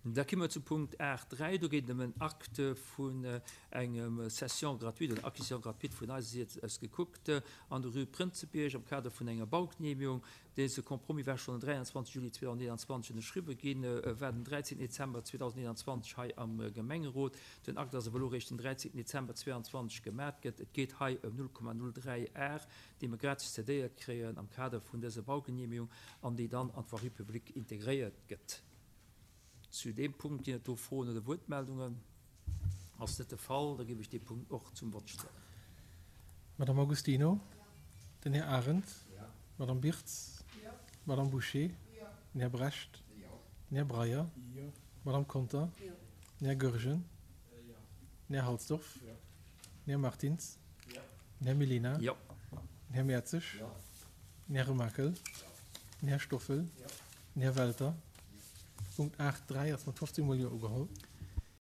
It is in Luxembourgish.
Da komme mer zu Punkt 8.3. Do geet et ëm en Acte vun engem Cession gratuite oder Acquisition gratuite vun eiser Säit aus gekuckt an der Rue Prënzebierg am Kader vun enger Baugenehmigung. Dese Compromis war schonn den 23 Juli 2021 ënnerschriwwe ginn, war den 13 Dezember 2021 hei am Gemengerot. Den Akt ass awer elo eréischt den 13 Dezember 2022 gemat gëtt. Et geet hei ëm 0,03 Ar, déi mer gratis cedéiert kréien am Kader vun dëser Baugenehmigung an déi dann an d'Voirie publique integréiert gëtt. Zu deem Punkt ginn et do Froen oder Wuertmeldungen? Ass net de Fall, da géif ech dee Punkt och zum Vott stellen. Madame Agostino, den Här Arendt, d'Madame Birtz, d'Madame Bouché, den Här Brecht, den Här Breyer, d'Madame Conter, den Här Goergen, den Här Halsdorf, den Här Martins, den Här Mellina, den Här Mertzig, den Här Remakel, den Här Stoffel, Den Här Welter, Punkt 8, 3 ass mat 15 mol Jo ugeholl.